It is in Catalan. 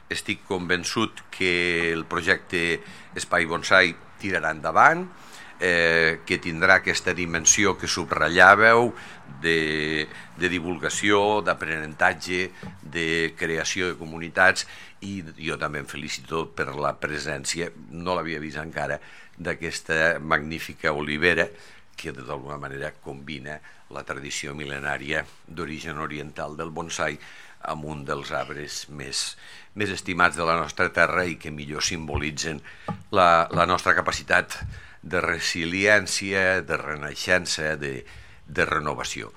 estic convençut que el projecte Espai Bonsai tirarà endavant, que tindrà aquesta dimensió que subratllàveu de divulgació, d'aprenentatge, de creació de comunitats, i jo també em felicito per la presència, no l'havia vist encara, d'aquesta magnífica olivera que d'alguna manera combina la tradició mil·lenària d'origen oriental del bonsai amb un dels arbres més estimats de la nostra terra i que millor simbolitzen la nostra capacitat de resiliència, de renaixença, de renovació.